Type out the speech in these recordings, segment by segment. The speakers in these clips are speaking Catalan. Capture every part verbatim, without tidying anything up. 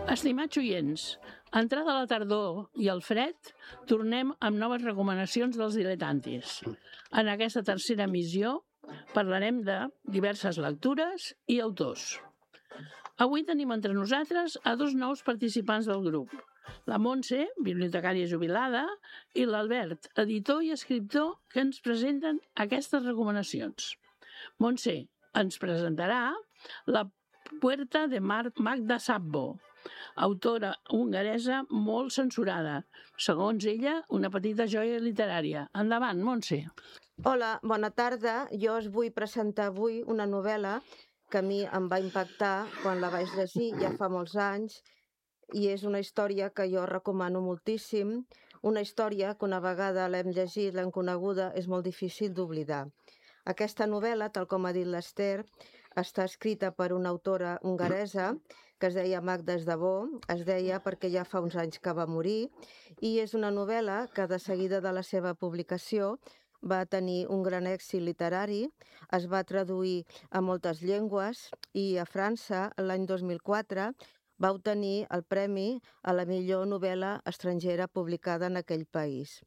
Estimats oients, entrada la tardor i el fred, tornem amb noves recomanacions dels diletantis. En aquesta tercera emissió parlarem de diverses lectures i autors. Avui tenim entre nosaltres a dos nous participants del grup, la Montse, bibliotecària jubilada, i l'Albert, editor i escriptor, que ens presenten aquestes recomanacions. Montse ens presentarà La Puerta de Magda Szabó, autora hongaresa molt censurada. Segons ella, una petita joia literària. Endavant, Montse. Hola, bona tarda. Jo us vull presentar avui una novel·la que a mi em va impactar quan la vaig llegir ja fa molts anys i és una història que jo recomano moltíssim, una història que una vegada l'hem llegit, l'hem coneguda, és molt difícil d'oblidar. Aquesta novel·la, tal com ha dit l'Ester, està escrita per una autora hongaresa que es deia Magda Szabó, es deia perquè ja fa uns anys que va morir, i és una novel·la que de seguida de la seva publicació va tenir un gran èxit literari, es va traduir a moltes llengües i a França, l'any dos mil quatre, va obtenir el premi a la millor novel·la estrangera publicada en aquell país.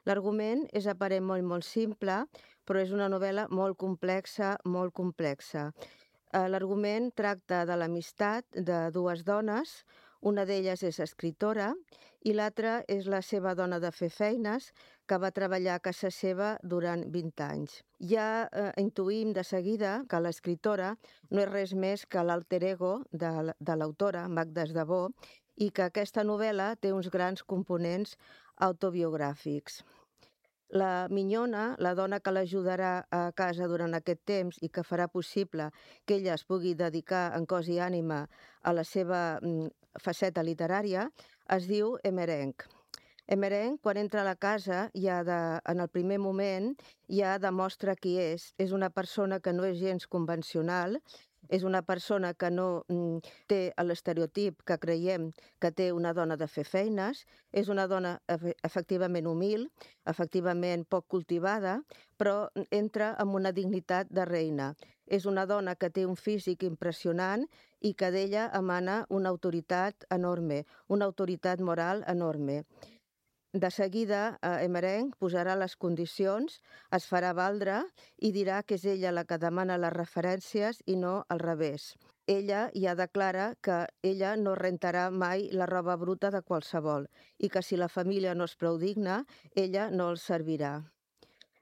L'argument és aparent molt, molt simple, però és una novel·la molt complexa, molt complexa. L'argument tracta de l'amistat de dues dones, una d'elles és escritora i l'altra és la seva dona de fer feines que va treballar a casa seva durant vint anys. Ja eh, intuïm de seguida que l'escriptora no és res més que l'alter ego de, de l'autora, Magda Szabó, i que aquesta novel·la té uns grans components autobiogràfics. La minyona, la dona que l'ajudarà a casa durant aquest temps i que farà possible que ella es pugui dedicar en cos i ànima a la seva faceta literària, es diu Emmerenc. Emmerenc, quan entra a la casa, ja de, en el primer moment, ja demostra qui és. És una persona que no és gens convencional, és una persona que no mm, té l'estereotip que creiem que té una dona de fer feines, és una dona efectivament humil, efectivament poc cultivada, però entra amb una dignitat de reina. És una dona que té un físic impressionant i que d'ella emana una autoritat enorme, una autoritat moral enorme. De seguida, Emmerenc posarà les condicions, es farà valdre i dirà que és ella la que demana les referències i no al revés. Ella ja declara que ella no rentarà mai la roba bruta de qualsevol i que si la família no és prou digna, ella no els servirà.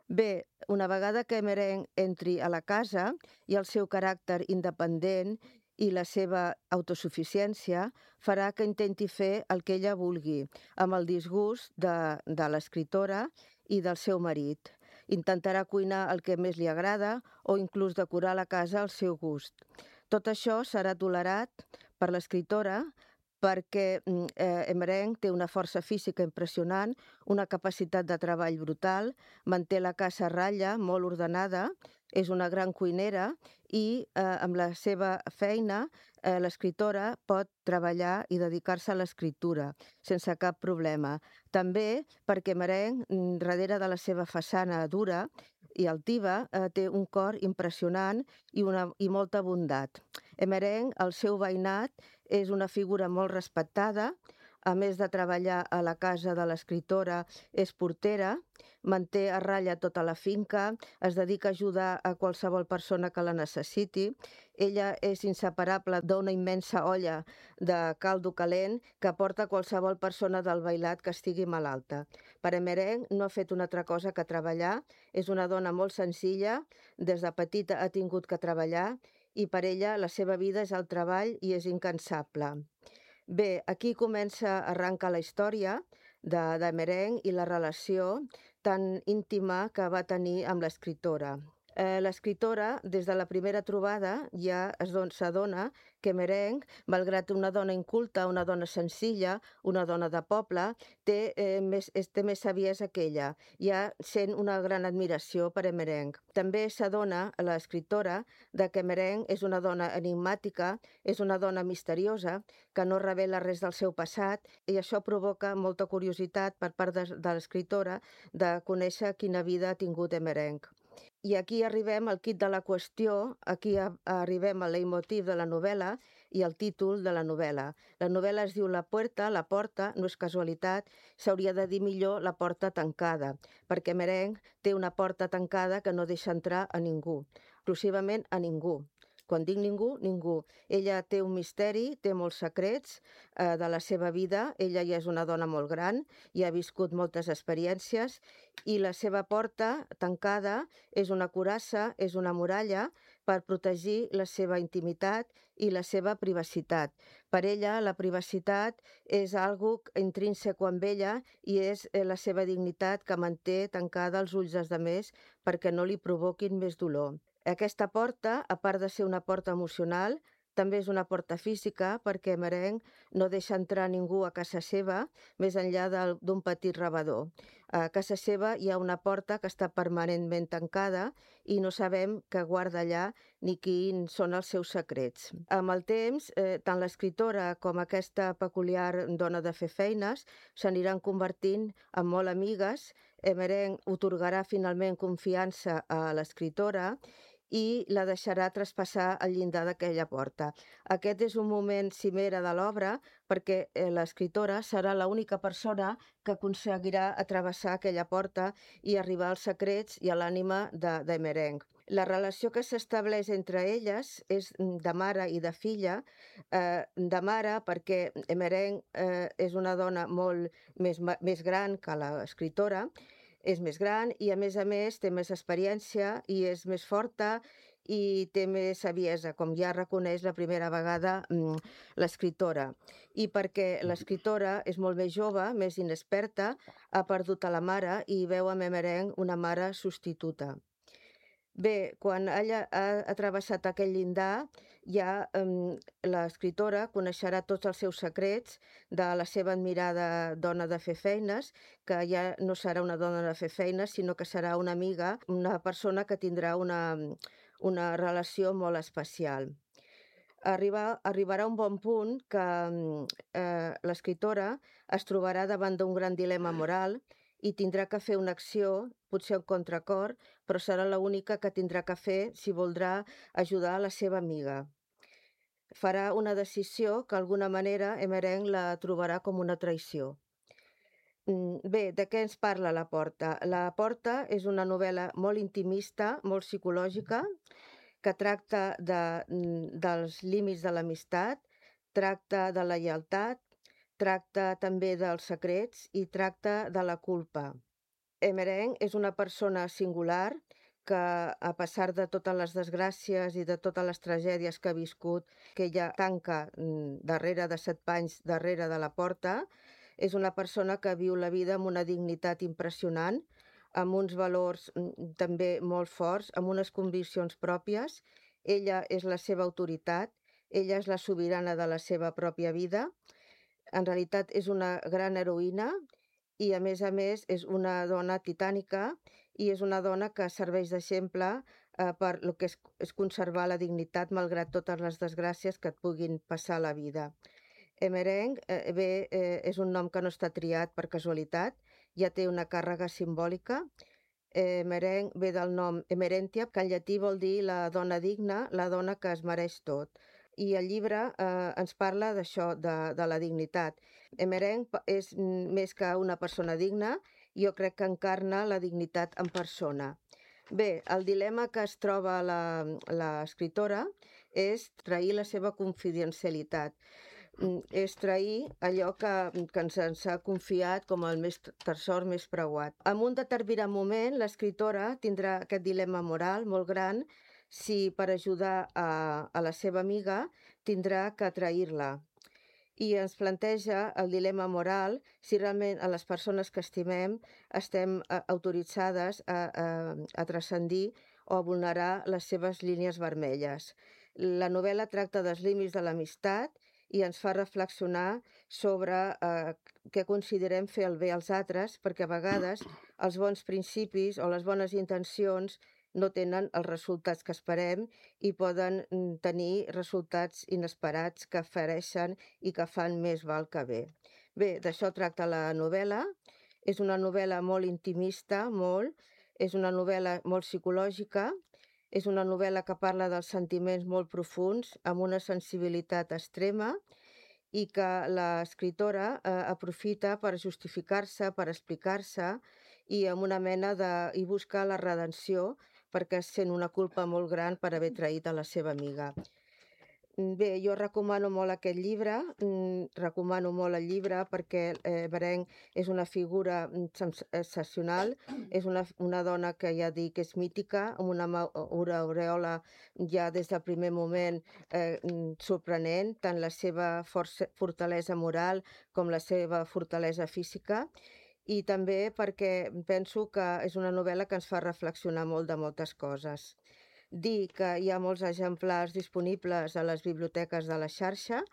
Bé, una vegada que Emmerenc entri a la casa i el seu caràcter independent i la seva autosuficiència farà que intenti fer el que ella vulgui, amb el disgust de, de l'escriptora i del seu marit. Intentarà cuinar el que més li agrada o inclús decorar la casa al seu gust. Tot això serà tolerat per l'escriptora perquè eh, Emmerenc té una força física impressionant, una capacitat de treball brutal, manté la casa a ratlla, molt ordenada, és una gran cuinera i eh, amb la seva feina eh, l'escriptora pot treballar i dedicar-se a l'escriptura sense cap problema. També perquè Emmerenc, darrere de la seva façana dura i altiva, eh, té un cor impressionant i, una, i molta bondat. Emmerenc, el seu veïnat, és una figura molt respectada, a més de treballar a la casa de l'escriptora, és portera, manté a ratlla tota la finca, es dedica a ajudar a qualsevol persona que la necessiti. Ella és inseparable d'una immensa olla de caldo calent que porta qualsevol persona del veïnat que estigui malalta. Per Emmerenc no ha fet una altra cosa que treballar, és una dona molt senzilla, des de petita ha tingut que treballar i per ella la seva vida és el treball i és incansable. Bé, aquí comença, arranca la història d'Emmerenc i la relació tan íntima que va tenir amb l'escriptora. Eh, l'escriptora, des de la primera trobada, ja s'adona que Emmerenc, malgrat una dona inculta, una dona senzilla, una dona de poble, té, eh, més, té més saviesa que ella. Ja sent una gran admiració per Emmerenc. També s'adona l'escriptora de que Emmerenc és una dona enigmàtica, és una dona misteriosa, que no revela res del seu passat, i això provoca molta curiositat per part de, de l'escriptora de conèixer quina vida ha tingut Emmerenc. I aquí arribem al quid de la qüestió, aquí arribem al leitmotiv de la novel·la, i el títol de la novel·la. La novel·la es diu La Puerta, la porta, no és casualitat, s'hauria de dir millor La porta tancada, perquè Merenc té una porta tancada que no deixa entrar a ningú, exclusivament a ningú. Quan dic ningú, ningú. Ella té un misteri, té molts secrets eh, de la seva vida. Ella ja és una dona molt gran i ha viscut moltes experiències i la seva porta tancada és una coraça, és una muralla per protegir la seva intimitat i la seva privacitat. Per ella, la privacitat és algo intrínseco amb ella i és la seva dignitat que manté tancada els ulls dels altres perquè no li provoquin més dolor. Aquesta porta, a part de ser una porta emocional, també és una porta física perquè Merenc no deixa entrar ningú a casa seva més enllà d'un petit rebedor. A casa seva hi ha una porta que està permanentment tancada i no sabem què guarda allà ni quins són els seus secrets. Amb el temps, eh, tant l'escriptora com aquesta peculiar dona de fer feines s'aniran convertint en molt amigues. Merenc otorgarà finalment confiança a l'escriptora i la deixarà traspassar el llindar d'aquella porta. Aquest és un moment cimera de l'obra perquè l'escriptora serà l'única persona que aconseguirà travessar aquella porta i arribar als secrets i a l'ànima de, de Merenc. La relació que s'estableix entre elles és de mare i de filla, eh, de mare perquè Merenc eh, és una dona molt més, més gran que l'escriptora, és més gran i a més a més té més experiència i és més forta i té més saviesa, com ja reconeix la primera vegada mm, l'escriptora. I perquè l'escriptora és molt més jove, més inexperta, ha perdut a la mare i veu a Merenc una mare substituta. Bé, quan ella ha, ha travessat aquell llindar, ja um, l'escriptora coneixerà tots els seus secrets de la seva admirada dona de fer feines, que ja no serà una dona de fer feines, sinó que serà una amiga, una persona que tindrà una, una relació molt especial. Arribar, arribarà un bon punt que eh, l'escriptora es trobarà davant d'un gran dilema moral i tindrà que fer una acció, potser un contracor, però serà l'única que tindrà que fer si voldrà ajudar la seva amiga. Farà una decisió que d'alguna manera Merenc la trobarà com una traïció. Bé, de què ens parla La Porta? La Porta és una novel·la molt intimista, molt psicològica, que tracta de, dels límits de l'amistat, tracta de la lleialtat, tracta també dels secrets i tracta de la culpa. Merenc és una persona singular que, a pesar de totes les desgràcies i de totes les tragèdies que ha viscut, que ella tanca darrere de set panys darrere de la porta, és una persona que viu la vida amb una dignitat impressionant, amb uns valors també molt forts, amb unes conviccions pròpies. Ella és la seva autoritat, ella és la sobirana de la seva pròpia vida. En realitat és una gran heroïna i, a més a més, és una dona titànica i és una dona que serveix d'exemple eh, per el que és, és conservar la dignitat malgrat totes les desgràcies que et puguin passar a la vida. Merenc, eh, bé, eh, és un nom que no està triat per casualitat, ja té una càrrega simbòlica. Eh, Merenc ve del nom Emerentia, que en llatí vol dir la dona digna, la dona que es mereix tot. I el llibre eh, ens parla d'això, de, de la dignitat. Merenc és més que una persona digna, jo crec que encarna la dignitat en persona. Bé, el dilema que es troba l'escriptora és trair la seva confidencialitat. És trair allò que, que ens, ens ha confiat com el més tresor més preuat. En un determinat moment, l'escriptora tindrà aquest dilema moral molt gran si per ajudar a, a la seva amiga tindrà que trair-la. I ens planteja el dilema moral si realment a les persones que estimem estem autoritzades a, a, a transcendir o a vulnerar les seves línies vermelles. La novel·la tracta dels límits de l'amistat i ens fa reflexionar sobre eh, què considerem fer el bé als altres, perquè a vegades els bons principis o les bones intencions no tenen els resultats que esperem i poden tenir resultats inesperats que fereixen i que fan més mal que bé. Bé, d'això tracta la novel·la. És una novel·la molt intimista, molt. És una novel·la molt psicològica. És una novel·la que parla dels sentiments molt profuns, amb una sensibilitat extrema, i que l'escriptora eh, aprofita per justificar-se, per explicar-se, i amb una mena de... i busca la redenció perquè sent una culpa molt gran per haver traït a la seva amiga. Bé, jo recomano molt aquest llibre, mm, recomano molt el llibre perquè eh, Berenc és una figura mm, sens- excepcional, és una, una dona que ja dic és mítica, amb una, ma- una aureola ja des del primer moment eh, mm, sorprenent, tant la seva força, fortalesa moral com la seva fortalesa física, i també perquè penso que és una novel·la que ens fa reflexionar molt de moltes coses. Dir que hi ha molts exemplars disponibles a les biblioteques de la xarxa,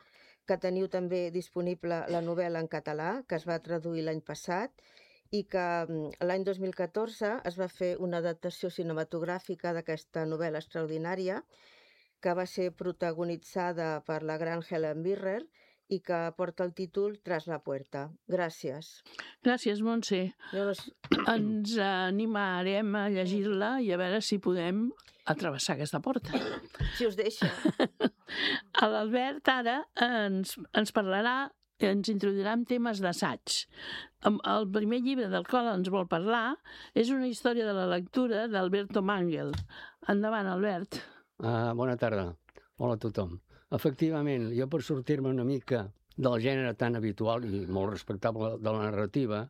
que teniu també disponible la novel·la en català, que es va traduir l'any passat, i que mm, l'any dos mil catorze es va fer una adaptació cinematogràfica d'aquesta novel·la extraordinària, que va ser protagonitzada per la gran Helen Mirren i que porta el títol Tras la puerta. Gràcies. Gràcies, Montse. Jo no... s- Ens animarem a llegir-la i a veure si podem atravessar aquesta porta. Si us deixa. L'Albert ara ens, ens parlarà, ens introduirà en temes d'assaig. Em- El primer llibre del qual ens vol parlar és una història de la lectura d'Alberto Mangel. Endavant, Albert. Uh, bona tarda. Hola a tothom. Efectivament, jo per sortir-me una mica del gènere tan habitual i molt respectable de la narrativa,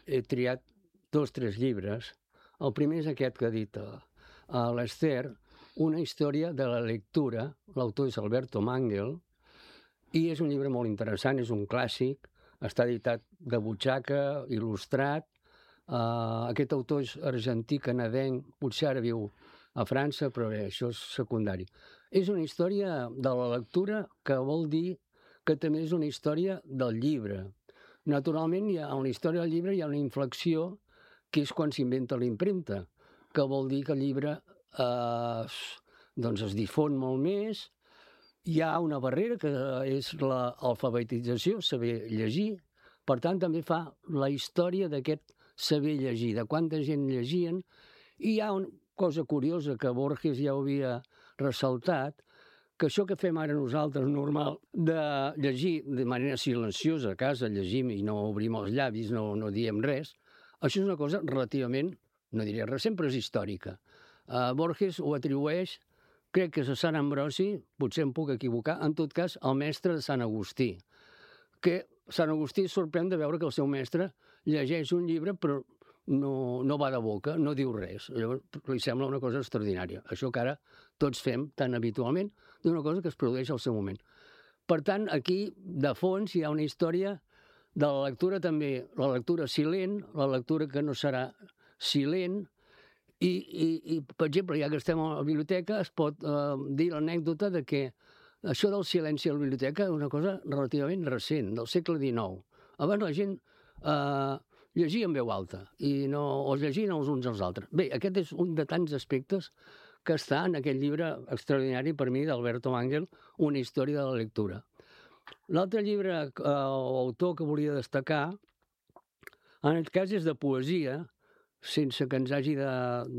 he triat dos o tres llibres. El primer és aquest que ha dit uh, uh, l'Esther, una història de la lectura. L'autor és Alberto Mangel, i és un llibre molt interessant, és un clàssic, està editat de butxaca, il·lustrat. Uh, aquest autor és argentí, canadenc, potser ara viu a França, però bé, això és secundari. És una història de la lectura que vol dir que també és una història del llibre. Naturalment, hi ha, en la història del llibre hi ha una inflexió que és quan s'inventa la impremta, que vol dir que el llibre eh, doncs es difon molt més. Hi ha una barrera que és l'alfabetització, saber llegir. Per tant, també fa la història d'aquest saber llegir, de quanta gent llegien. I hi ha una cosa curiosa que Borges ja ho havia ressaltat, que això que fem ara nosaltres normal de llegir de manera silenciosa a casa, llegim i no obrim els llavis, no, no diem res, això és una cosa relativament, no diria res, sempre és històrica. Uh, Borges ho atribueix, crec que és a Sant Ambrosi, potser em puc equivocar, en tot cas al mestre de Sant Agustí, que Sant Agustí es sorprèn de veure que el seu mestre llegeix un llibre però no, no va de boca, no diu res. Llavors li sembla una cosa extraordinària. Això que ara tots fem tan habitualment d'una cosa que es produeix al seu moment. Per tant, aquí, de fons, hi ha una història de la lectura també, la lectura silent, la lectura que no serà silent, i, i, i per exemple, ja que estem a la biblioteca, es pot eh, dir l'anècdota de que això del silenci a la biblioteca és una cosa relativament recent, del segle dinou. Abans la gent eh, llegia en veu alta i no els llegien els uns als altres. Bé, aquest és un de tants aspectes que està en aquest llibre extraordinari per mi d'Alberto Mangel, Una història de la lectura. L'altre llibre eh, o autor que volia destacar, en aquest cas és de poesia, sense que ens hagi de,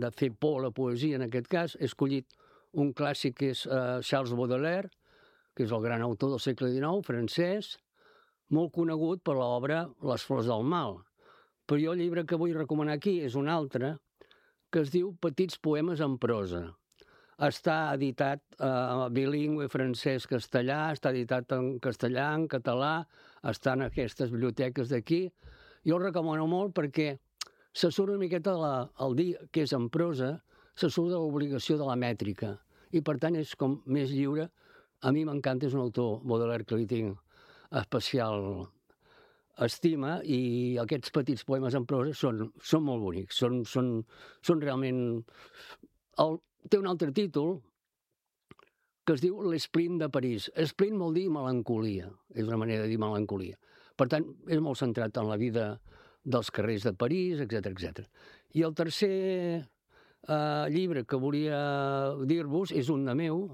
de fer por la poesia en aquest cas. He escollit un clàssic que és eh, Charles Baudelaire, que és el gran autor del segle dinou, francès, molt conegut per l'obra Les flors del mal. Però jo el llibre que vull recomanar aquí és un altre, que es diu Petits poemes en prosa. Està editat eh, bilingüe francès-castellà, està editat en castellà, en català, està en aquestes biblioteques d'aquí. Jo el recomano molt perquè se surt una miqueta la, el dir que és en prosa, se surt de l'obligació de la mètrica. I per tant és com més lliure. A mi m'encanta, és un autor, Baudelaire, que li tinc especial estima, i aquests petits poemes en prosa són, són molt bonics, són, són, són realment... El, té un altre títol que es diu L'Esplint de París. Esplint vol dir melancolia, és una manera de dir melancolia. Per tant, és molt centrat en la vida dels carrers de París, etcètera, etcètera. I el tercer eh, llibre que volia dir-vos és un de meu,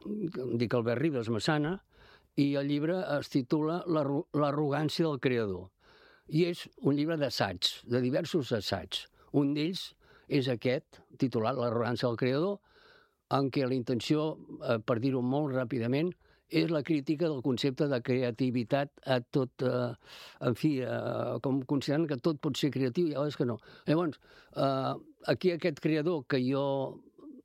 em dic Albert Ribas Massana, i el llibre es titula L'arrogància del creador. I és un llibre d'assaigs, de diversos assaigs. Un d'ells és aquest, titulat L'arrogància del creador, en què la intenció, eh, per dir-ho molt ràpidament, és la crítica del concepte de creativitat a tot, eh, en fi, eh, com considerant que tot pot ser creatiu i a vegades que no. Llavors, eh, aquí aquest creador que jo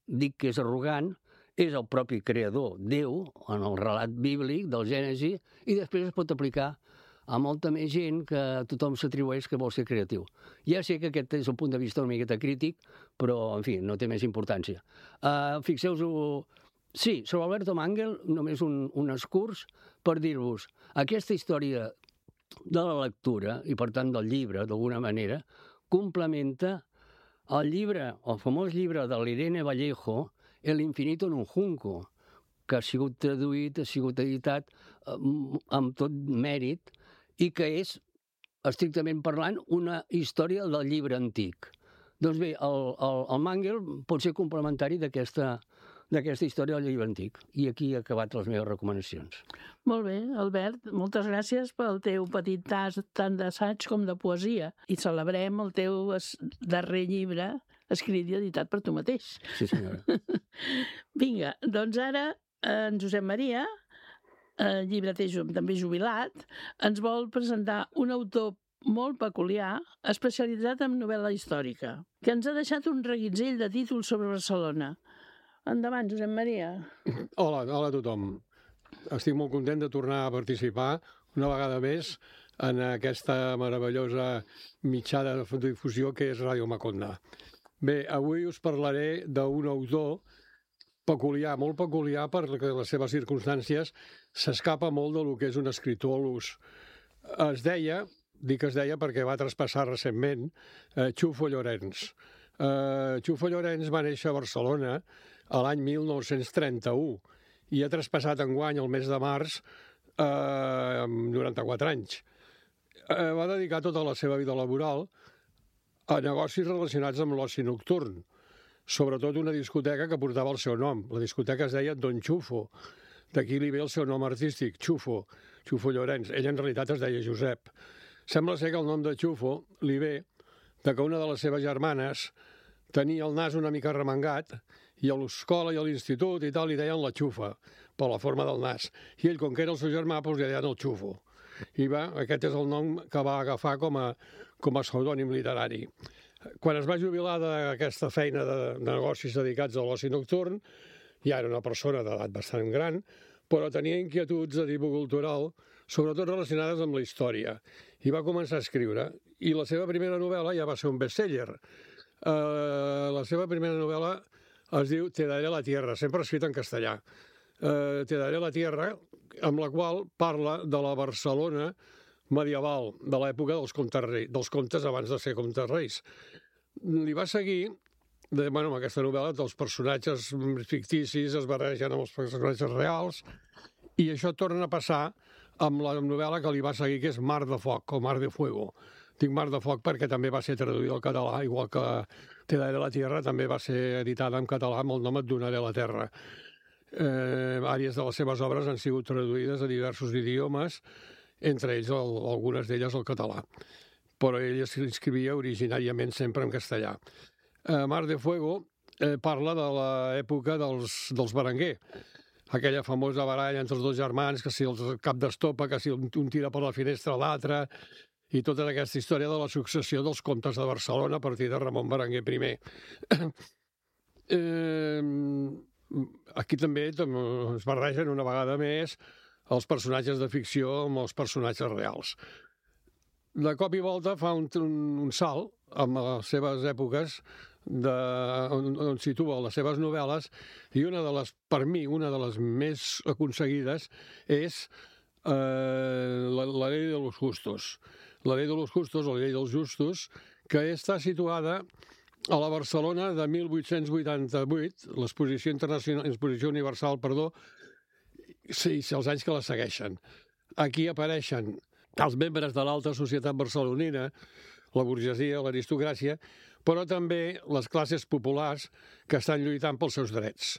dic que és arrogant, és el propi creador, Déu, en el relat bíblic del Gènesi, i després es pot aplicar a molta més gent que tothom s'atribueix que vol ser creatiu. Ja sé que aquest és un punt de vista una miqueta crític, però, en fi, no té més importància. Uh, Fixeu-vos... Sí, sobre Alberto Mangel, només un, un escurs per dir-vos, aquesta història de la lectura, i per tant del llibre, d'alguna manera, complementa el llibre, el famós llibre de l'Irene Vallejo, El infinito en un junco, que ha sigut traduït, ha sigut editat eh, amb tot mèrit, i que és, estrictament parlant, una història del llibre antic. Doncs bé, el, el, el Mangel pot ser complementari d'aquesta d'aquesta història del llibre antic. I aquí he acabat les meves recomanacions. Molt bé, Albert, moltes gràcies pel teu petit tas tant d'assaig com de poesia. I celebrem el teu darrer llibre escrit i editat per tu mateix. Sí, senyora. Vinga, doncs ara en Josep Maria, el llibreter també jubilat, ens vol presentar un autor molt peculiar, especialitzat en novel·la històrica, que ens ha deixat un reguitzell de títols sobre Barcelona. Endavant, Josep Maria. Hola, hola a tothom. Estic molt content de tornar a participar una vegada més en aquesta meravellosa mitjà de difusió que és Ràdio Maconda. Bé, avui us parlaré d'un autor peculiar, molt peculiar perquè les seves circumstàncies s'escapa molt del que és un escriptor a l'ús. Es deia, dic es deia perquè va traspassar recentment, eh, Xufo Llorens. Eh, Xufo Llorens va néixer a Barcelona a l'any mil nou-cents trenta-u i ha traspassat enguany, el mes de març, eh, amb noranta-quatre anys. Eh, va dedicar tota la seva vida laboral a negocis relacionats amb l'oci nocturn, sobretot una discoteca que portava el seu nom. La discoteca es deia Don Xufo, d'aquí li ve el seu nom artístic, Xufo, Xufo Llorens. Ell en realitat es deia Josep. Sembla ser que el nom de Xufo li ve de que una de les seves germanes tenia el nas una mica remengat i a l'escola i a l'institut i tal li deien la xufa, per la forma del nas. I ell, com que era el seu germà, doncs li deien el Xufo. I va, aquest és el nom que va agafar com a, com a pseudònim literari. Quan es va jubilar d'aquesta feina de, de negocis dedicats a l'oci nocturn, ja era una persona d'edat bastant gran, però tenia inquietuds de tipus cultural, sobretot relacionades amb la història. I va començar a escriure. I la seva primera novel·la ja va ser un bestseller. Uh, la seva primera novel·la es diu Te daré la tierra, sempre escrit en castellà. Uh, Te daré la tierra, amb la qual parla de la Barcelona medieval, de l'època dels comtes, rei, dels comtes abans de ser comtes reis. Li va seguir, de, bueno, amb aquesta novel·la, dels personatges ficticis es barregen amb els personatges reals, i això torna a passar amb la novel·la que li va seguir, que és Mar de Foc, o Mar de Fuego. Dic Mar de Foc perquè també va ser traduïda al català, igual que Te daré la tierra també va ser editada en català amb el nom Et donaré la terra. Eh, àrees de les seves obres han sigut traduïdes a diversos idiomes, entre ells el, algunes d'elles al català. Però ell escrivia originàriament sempre en castellà. Eh, Mar de Fuego eh, parla de l'època dels, dels Berenguer, aquella famosa baralla entre els dos germans, que si el cap d'estopa, que si un, un tira per la finestra a l'altre, i tota aquesta història de la successió dels comtes de Barcelona a partir de Ramon Berenguer primer. eh, aquí també es barregen una vegada més els personatges de ficció amb els personatges reals. De cop i volta fa un, un, un salt amb les seves èpoques de, on, on situa les seves novel·les, i una de les, per mi, una de les més aconseguides és eh, la, la llei de los justos. La llei de los justos, o la llei dels justos, que està situada a la Barcelona de mil vuit-cents vuitanta-vuit, l'exposició internacional, l'exposició universal, perdó, sí, els anys que la segueixen. Aquí apareixen els membres de l'alta societat barcelonina, la burgesia, l'aristocràcia, però també les classes populars que estan lluitant pels seus drets.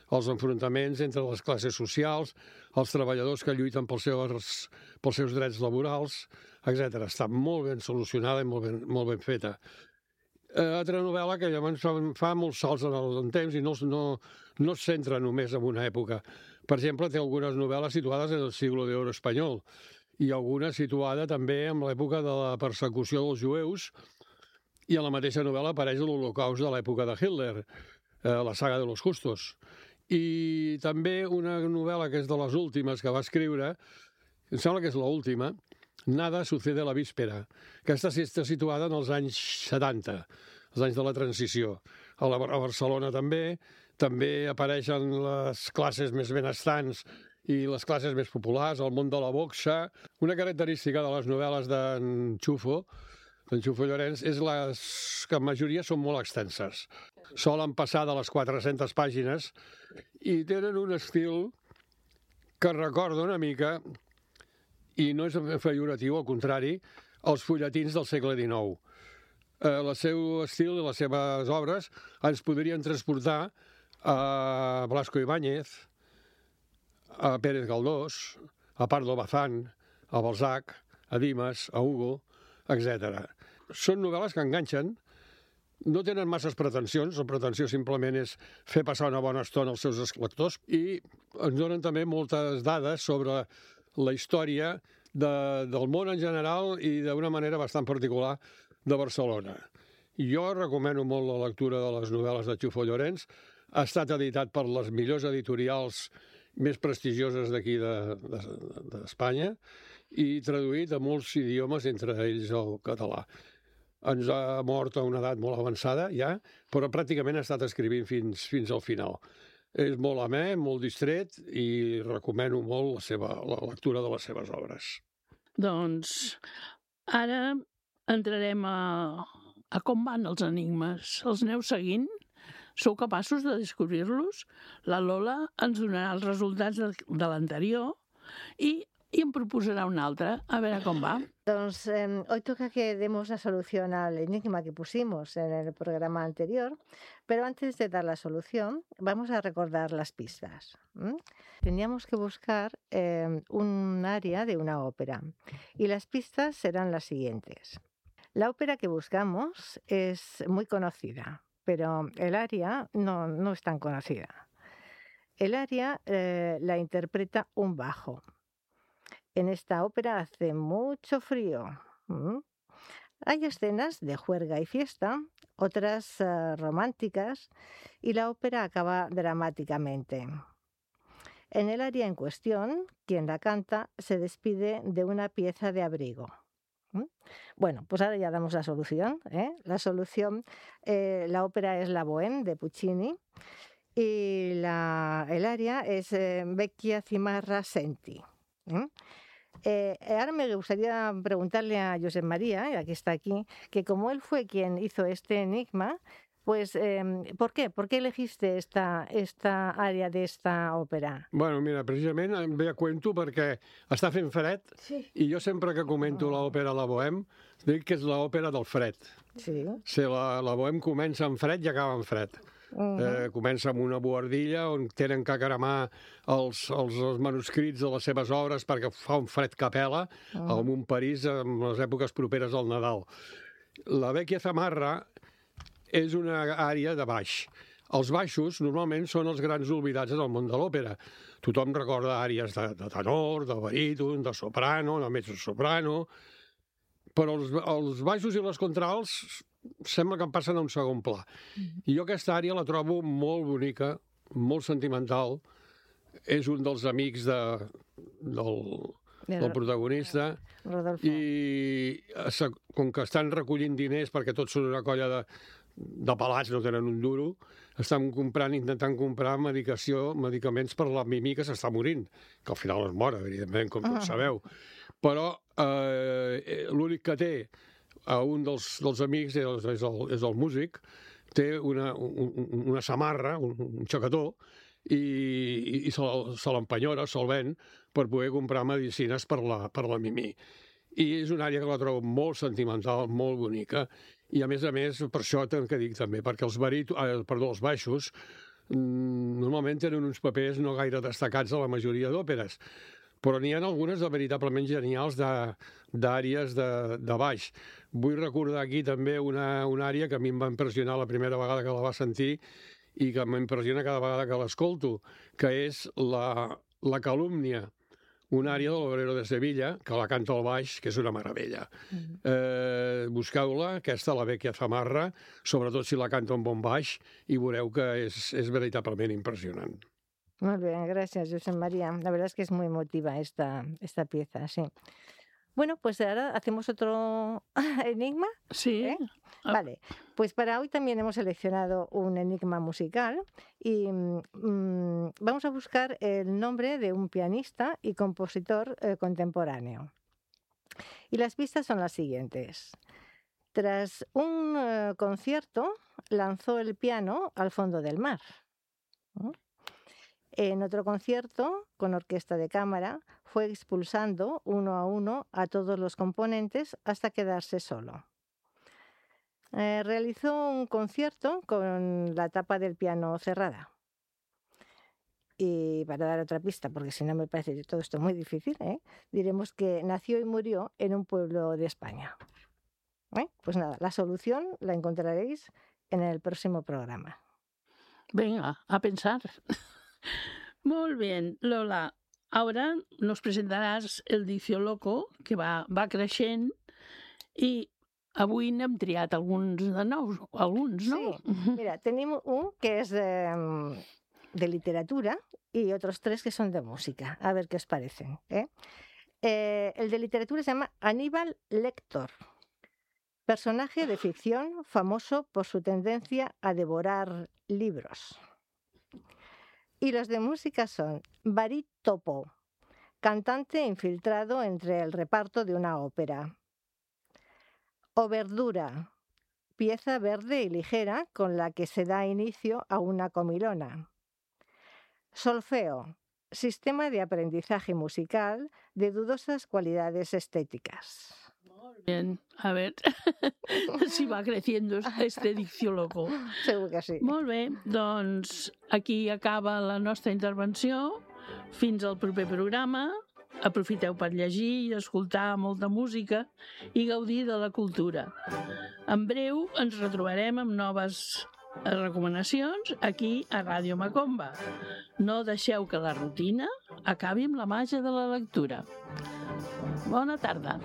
Els enfrontaments entre les classes socials, els treballadors que lluiten pels seus, pels seus drets laborals, etcètera. Està molt ben solucionada i molt ben, molt ben feta. Eh, altra novel·la que llavors fa molts salts en el temps i no, no, no es centra només en una època. Per exemple, té algunes novel·les situades en el siglo de oro espanyol i alguna situada també en l'època de la persecució dels jueus, i a la mateixa novel·la apareix l'Holocaust de l'època de Hitler, eh, la saga de los justos. I també una novel·la que és de les últimes que va escriure, em sembla que és l'última, Nada sucede a la víspera. Aquesta està situada en els anys setanta, els anys de la transició. A, la, a Barcelona també, també apareixen les classes més benestants i les classes més populars, el món de la boxa. Una característica de les novel·les d'en Xufo, d'en Xufo Llorenç, és les que en majoria són molt extenses. Solen passar de les quatre-centes pàgines i tenen un estil que recorda una mica, i no és pejoratiu, al contrari, els fulletins del segle dinou. Eh, el seu estil i les seves obres ens podrien transportar a Blasco Ibáñez, a Pérez Galdós, a Pardo Bazán, a Balzac, a Dimas, a Hugo, etcètera. Són novel·les que enganxen, no tenen masses pretensions, la pretensió simplement és fer passar una bona estona als seus lectors, i ens donen també moltes dades sobre la història de, del món en general i d'una manera bastant particular de Barcelona. Jo recomano molt la lectura de les novel·les de Xufo Llorenç. Ha estat editat per les millors editorials més prestigioses d'aquí d'Espanya i traduït a molts idiomes, entre ells el català. Ens ha mort a una edat molt avançada ja, però pràcticament ha estat escrivint fins, fins al final. És molt amè, molt distret i recomano molt la, seva, la lectura de les seves obres. Doncs ara entrarem a, a com van els enigmes. Els aneu seguint? Sou capaços de descobrir-los? La Lola ens donarà els resultats de, de l'anterior i y em proposará un altre, a ver cómo va. Entonces, eh, hoy toca que demos la solución al enigma que pusimos en el programa anterior, pero antes de dar la solución, vamos a recordar las pistas. ¿Mm? Teníamos que buscar eh, un área de una ópera, y las pistas serán las siguientes. La ópera que buscamos es muy conocida, pero el área no, no es tan conocida. El área eh, la interpreta un bajo. En esta ópera hace mucho frío. ¿Mm? Hay escenas de juerga y fiesta, otras uh, románticas, y la ópera acaba dramáticamente. En el área en cuestión, quien la canta se despide de una pieza de abrigo. ¿Mm? Bueno, pues ahora ya damos la solución. ¿eh? La solución, eh, la ópera es La Bohème de Puccini y la, el área es eh, Vecchia Cimarra Senti. ¿Mm? Eh, ahora me gustaría preguntarle a Josep María, ya que está aquí, que como él fue quien hizo este enigma, pues eh, ¿por qué? ¿Por qué elegiste esta, esta àrea d'esta òpera? Bueno, mira, precisament em ve a cuento perquè està fent fred sí. I jo sempre que comento oh. l'òpera La Bohème dic que és l'òpera del fred. Sí. Sí, la, la Bohème comença en fred i acaba en fred. Uh-huh. eh, comença amb una buhardilla on tenen que cremar els, els, els manuscrits de les seves obres perquè fa un fred que pela uh-huh. en un París en les èpoques properes al Nadal. La Vecchia Cimarra és una àrea de baix. Els baixos normalment són els grans oblidats en el món de l'òpera. Tothom recorda àrees de, de tenor, de baríton, de soprano, de mezzosoprano, però els, els baixos i les contrals sembla que em passen a un segon pla. Mm-hmm. I jo aquesta àrea la trobo molt bonica, molt sentimental. És un dels amics de, del, del protagonista. Rodolfo. I com que estan recollint diners perquè tots són una colla de, de pelats, no tenen un duro, estan comprant, intentant comprar medicació, medicaments per la Mimí que s'està morint, que al final es mor, evidentment, com tots sabeu. Però eh, l'únic que té a un dels, dels amics és el, és el músic, té una, un, una samarra, un, un xacató, i, i, i se, se l'empenyora, se'l ven, per poder comprar medicines per la, per la Mimí. I és una àrea que la trobo molt sentimental, molt bonica, i a més a més, per això que dic també, perquè els, barit, eh, perdó, els baixos normalment tenen uns papers no gaire destacats a la majoria d'òperes. però n'hi ha algunes de veritablement genials d'àrees de, de, de baix. Vull recordar aquí també una, una àrea que a mi em va impressionar la primera vegada que la va sentir i que m'impressiona cada vegada que l'escolto, que és la, la calúmnia, una àrea de l'Obrero de Sevilla, que la canta al baix, que és una meravella. Mm. Eh, busqueu-la, aquesta, la Vecchia Zamarra, sobretot si la canta un bon baix, i veureu que és, és veritablement impressionant. Muy bien, gracias, José María. La verdad es que es muy emotiva esta, esta pieza, sí. Bueno, pues ahora hacemos otro enigma. Sí. ¿Eh? Vale, pues para hoy también hemos seleccionado un enigma musical y mmm, vamos a buscar el nombre de un pianista y compositor eh, contemporáneo. Y las pistas son las siguientes. Tras un eh, concierto, lanzó el piano al fondo del mar. ¿Mm? En otro concierto, con orquesta de cámara, fue expulsando uno a uno a todos los componentes hasta quedarse solo. Eh, realizó un concierto con la tapa del piano cerrada. Y para dar otra pista, porque si no me parece todo esto muy difícil, ¿eh? diremos que nació y murió en un pueblo de España. ¿Eh? Pues nada, la solución la encontraréis en el próximo programa. Venga, a pensar. Molt bé, Lola. Ara nos presentaràs el Dicio Loco, que va, va creixent, i avui n'hem triat alguns de nous, alguns, ¿no? Sí, mira, tenim un que és de, de literatura y otros tres que son de música. A ver qué os parecen. ¿eh? Eh, el de literatura se llama Aníbal Lector. Personaje de ficción famoso por su tendencia a devorar libros. Y los de música son Barí Topo, cantante infiltrado entre el reparto de una ópera. O Verdura, pieza verde y ligera con la que se da inicio a una comilona. Solfeo, sistema de aprendizaje musical de dudosas cualidades estéticas. Molt bé, a ver si va creciendo este Dicio Loco. Segur que sí. Molt bé, doncs aquí acaba la nostra intervenció. Fins al proper programa. Aprofiteu per llegir i escoltar molta música i gaudir de la cultura. En breu ens retrobarem amb noves recomanacions aquí a Ràdio Macomba. No deixeu que la rutina acabi amb la màgia de la lectura. Bona tarda.